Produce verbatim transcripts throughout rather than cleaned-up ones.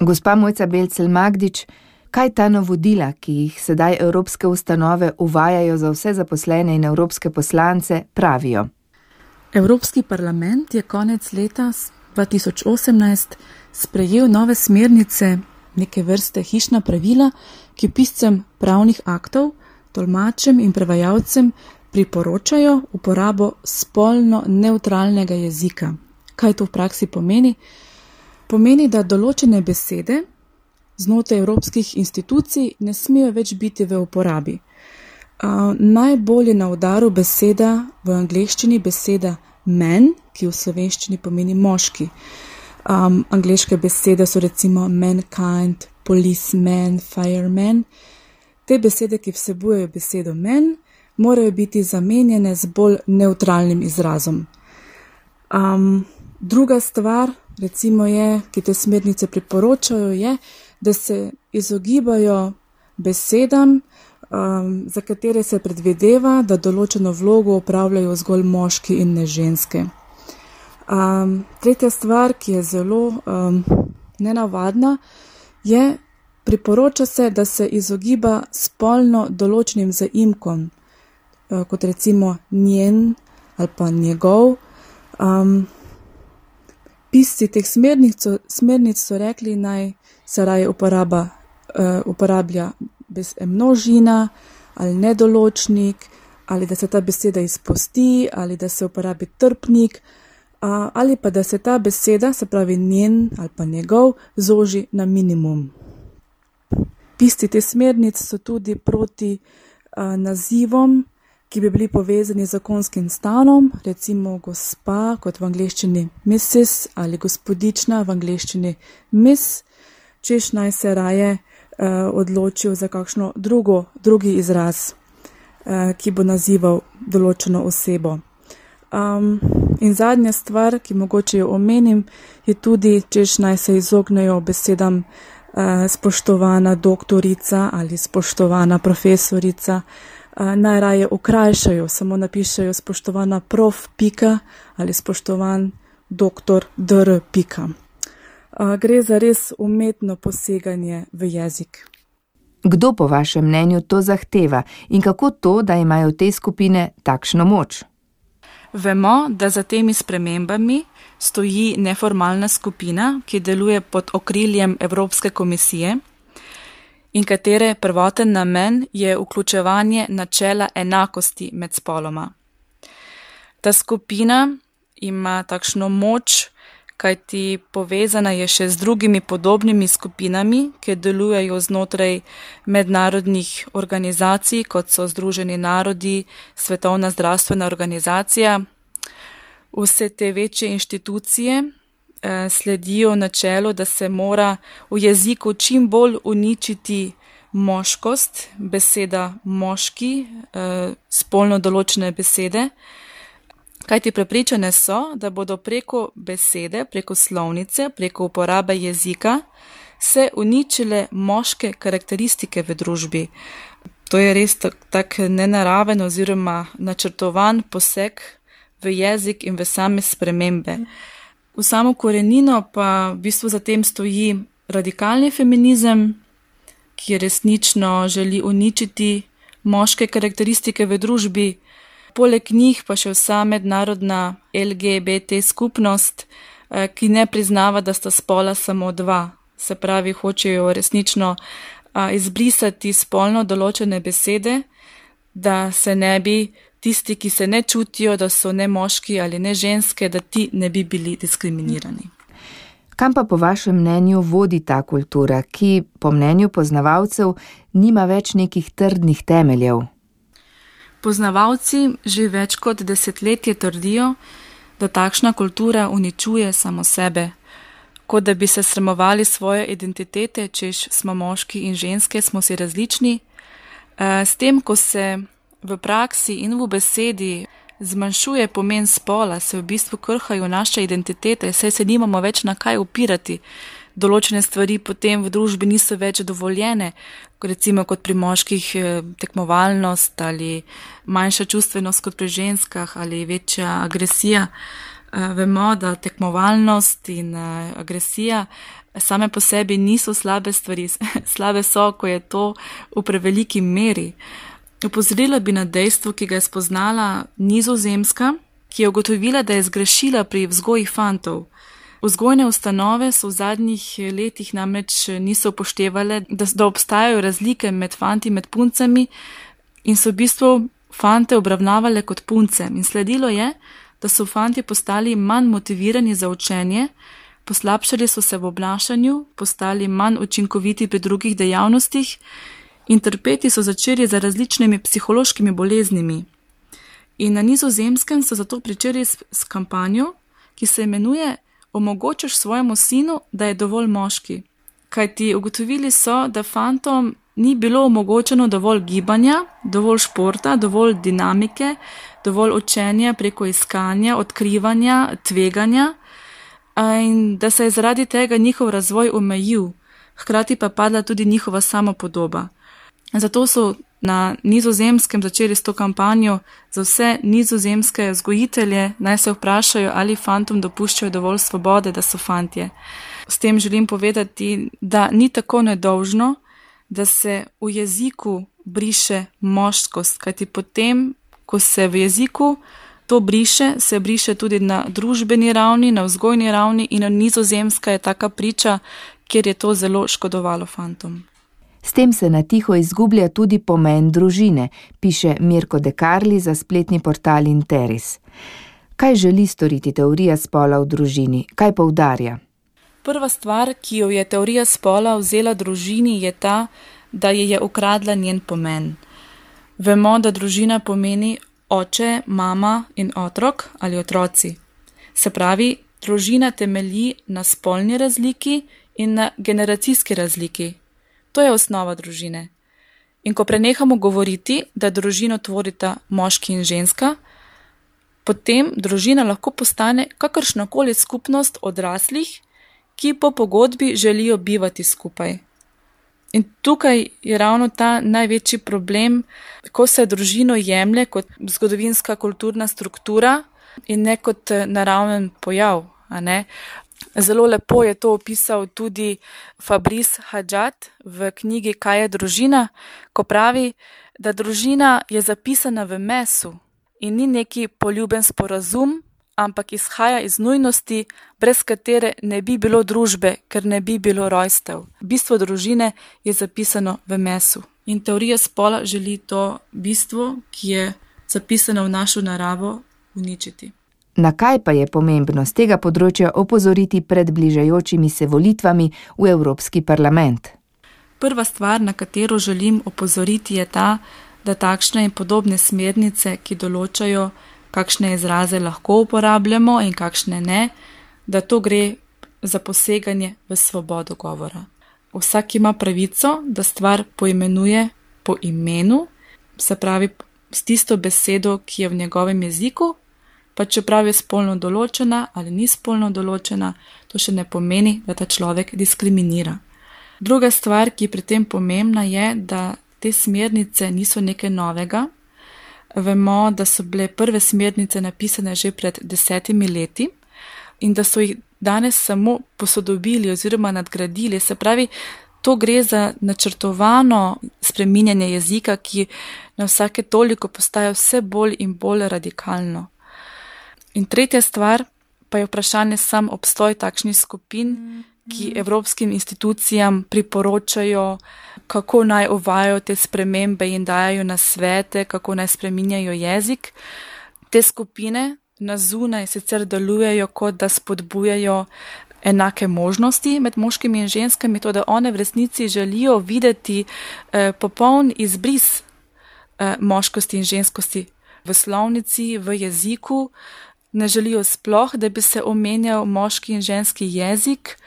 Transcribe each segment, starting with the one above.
Gospa Mojca Belcelj-Magdič, kaj ta navodila, ki jih sedaj evropske ustanove uvajajo za vse zaposlene in evropske poslance, pravijo? Evropski parlament je konec leta dva tisoč osemnajst sprejel nove smernice, neke vrste hišna pravila, ki piscem pravnih aktov, tolmačem in prevajalcem priporočajo uporabo spolno nevtralnega jezika. Kaj to v praksi pomeni? Pomeni, da določene besede znotraj evropskih institucij ne smejo več biti v uporabi. Uh, najbolj je na udaru beseda v angleščini beseda man, ki v slovenščini pomeni moški. Um, angleške besede so recimo mankind, policeman, fireman. Te besede, ki vsebujejo besedo man, morajo biti zamenjene z bolj nevtralnim izrazom. Um, druga stvar, recimo je, ki te smernice priporočajo, je, da se izogibajo besedam, um, za katere se predvideva, da določeno vlogo opravljajo zgolj moški in ne ženske. Um, tretja stvar, ki je zelo um, nenavadna, je, priporoča se, da se izogiba spolno določenim zaimkom, uh, kot recimo njen ali pa njegov. Um, pisci teh smernic, smernic so rekli, naj se raje uporaba, uh, uporablja bez množina ali nedoločnik, ali da se ta beseda izpusti, ali da se uporabi trpnik, uh, ali pa da se ta beseda, se pravi njen ali pa njegov, zoži na minimum. Pisci te smernic so tudi proti uh, nazivom, ki bi bili povezani z zakonskim stanom, recimo gospa, kot v angleščini missus, ali gospodična, v angleščini miss, češ naj se raje uh, odločil za kakšno drugo, drugi izraz, uh, ki bo nazival določeno osebo. Um, in zadnja stvar, ki mogoče jo omenim, je tudi, češ naj se izognejo besedam uh, spoštovana doktorica ali spoštovana profesorica, uh, najraje okrajšajo, samo napišajo spoštovana prof pika ali spoštovan doktor dr pika. Uh, gre za res umetno poseganje v jezik. Kdo po vašem mnenju to zahteva in kako to, da imajo te skupine takšno moč? Vemo, da za temi spremembami stoji neformalna skupina, ki deluje pod okriljem Evropske komisije in katere prvoten namen je vključevanje načela enakosti med spoloma. Ta skupina ima takšno moč, kajti povezana je še z drugimi podobnimi skupinami, ki delujejo znotraj mednarodnih organizacij, kot so Združeni narodi, Svetovna zdravstvena organizacija. Vse te večje inštitucije eh, sledijo načelu, da se mora v jeziku čim bolj uničiti moškost, beseda moški, eh, spolno določene besede, kajti prepričane so, da bodo preko besede, preko slovnice, preko uporabe jezika se uničile moške karakteristike v družbi. To je res tak, tak nenaraven oziroma načrtovan poseg v jezik in v same spremembe. V samo korenino pa v bistvu za tem stoji radikalni feminizem, ki resnično želi uničiti moške karakteristike v družbi. Poleg njih pa še vsa mednarodna L G B T skupnost, ki ne priznava, da sta spola samo dva. Se pravi, hočejo resnično izbrisati spolno določene besede, da se ne bi tisti, ki se ne čutijo, da so ne moški ali ne ženske, da ti ne bi bili diskriminirani. Kam pa po vašem mnenju vodi ta kultura, ki po mnenju poznavalcev nima več nekih trdnih temeljev? Poznavalci že več kot desetletje trdijo, da takšna kultura uničuje samo sebe, kot da bi se sramovali svoje identitete, češ smo moški in ženske, smo si različni. S tem, ko se v praksi in v besedi zmanjšuje pomen spola, se v bistvu krhajo naše identitete, saj se nimamo več na kaj opirati. Določene stvari potem v družbi niso več dovoljene, recimo kot pri moških tekmovalnost ali manjša čustvenost kot pri ženskah ali večja agresija. Vemo, da tekmovalnost in agresija same po sebi niso slabe stvari, slabe so, ko je to v preveliki meri. Opozorila bi na dejstvo, ki ga je spoznala Nizozemska, ki je ugotovila, da je zgrešila pri vzgoji fantov. Vzgojne ustanove so v zadnjih letih namreč niso upoštevale, da, da obstajajo razlike med fanti in med puncami in so v bistvu fante obravnavale kot punce. In sledilo je, da so fanti postali manj motivirani za učenje, poslabšali so se v obnašanju, postali manj učinkoviti pri drugih dejavnostih in trpeti so začeli za različnimi psihološkimi boleznimi. In na Nizozemskem so zato pričeli s, s kampanjo, ki se imenuje Omogočiš svojemu sinu, da je dovolj moški. Kajti ugotovili so, da fantom ni bilo omogočeno dovolj gibanja, dovolj športa, dovolj dinamike, dovolj učenja preko iskanja, odkrivanja, tveganja in da se je zaradi tega njihov razvoj omejil, hkrati pa padla tudi njihova samopodoba. Zato so na Nizozemskem začeli s to kampanjo za vse nizozemske vzgojitelje, naj se vprašajo, ali fantom dopuščajo dovolj svobode, da so fantje. S tem želim povedati, da ni tako nedolžno, da se v jeziku briše moškost, kajti potem, ko se v jeziku to briše, se briše tudi na družbeni ravni, na vzgojni ravni in Nizozemska je taka priča, kjer je to zelo škodovalo fantom. S tem se na tiho izgublja tudi pomen družine, piše Mirko De Carli za spletni portal Interis. Kaj želi storiti teorija spola v družini? Kaj poudarja? Prva stvar, ki jo je teorija spola vzela družini, je ta, da je je ukradla njen pomen. Vemo, da družina pomeni oče, mama in otrok ali otroci. Se pravi, družina temelji na spolni razliki in na generacijski razliki. To je osnova družine. In ko prenehamo govoriti, da družino tvorita moški in ženska, potem družina lahko postane kakršnakoli skupnost odraslih, ki po pogodbi želijo bivati skupaj. In tukaj je ravno ta največji problem, ko se družino jemlje kot zgodovinska kulturna struktura in ne kot naraven pojav, a ne? Zelo lepo je to opisal tudi Fabrice Hadjad v knjigi Kaj je družina, ko pravi, da družina je zapisana v mesu in ni neki poljuben sporazum, ampak izhaja iz nujnosti, brez katere ne bi bilo družbe, ker ne bi bilo rojstev. Bistvo družine je zapisano v mesu. In teorija spola želi to bistvo, ki je zapisano v našo naravo, uničiti. Na kaj pa je pomembno z tega področja opozoriti pred bližajočimi se volitvami v Evropski parlament? Prva stvar, na katero želim opozoriti, je ta, da takšne in podobne smernice, ki določajo, kakšne izraze lahko uporabljamo in kakšne ne, da to gre za poseganje v svobodo govora. Vsak ima pravico, da stvar poimenuje po imenu, se pravi s tisto besedo, ki je v njegovem jeziku, pa čeprav je spolno določena ali ni spolno določena, to še ne pomeni, da ta človek diskriminira. Druga stvar, ki je pri tem pomembna, je, da te smernice niso nekaj novega. Vemo, da so bile prve smernice napisane že pred desetimi leti in da so jih danes samo posodobili oziroma nadgradili. Se pravi, to gre za načrtovano spreminjanje jezika, ki na vsake toliko postaja vse bolj in bolj radikalno. In tretja stvar pa je vprašanje sam obstoj takšnih skupin, ki evropskim institucijam priporočajo, kako naj uvajajo te spremembe in dajajo nasvete, kako naj spreminjajo jezik. Te skupine na zunaj sicer delujejo, kot da spodbujajo enake možnosti med moškimi in ženskami, to da one v resnici želijo videti eh, popoln izbris eh, moškosti in ženskosti v slovnici, v jeziku. Ne želijo sploh, da bi se omenjal moški in ženski jezik.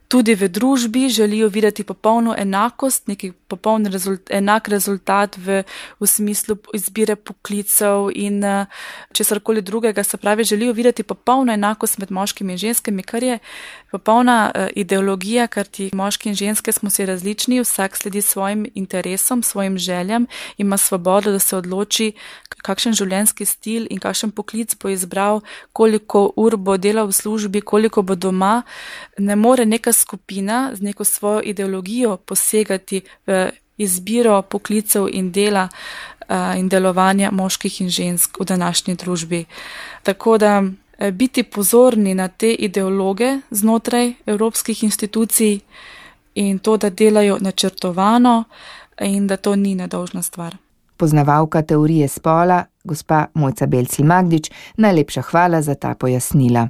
Tudi v družbi želijo videti popolno enakost, neki popoln rezult, enak rezultat v, v smislu izbire poklicev in česarkoli drugega. Se pravi, želijo videti popolno enakost med moškimi in ženskami, kar je popolna uh, ideologija, ker ti moški in ženske smo si različni, vsak sledi svojim interesom, svojim željam, ima svobodo, da se odloči, kakšen življenjski stil in kakšen poklic bo izbral, koliko ur bo delal v službi, koliko bo doma. Ne more neka skupina z neko svojo ideologijo posegati v izbiro poklicev in dela uh, in delovanja moških in žensk v današnji družbi. Tako da uh, biti pozorni na te ideologe znotraj evropskih institucij in to, da delajo načrtovano in da to ni nedolžna stvar. Poznavalka teorije spola, gospa Mojca Belcl Magdič, najlepša hvala za ta pojasnila.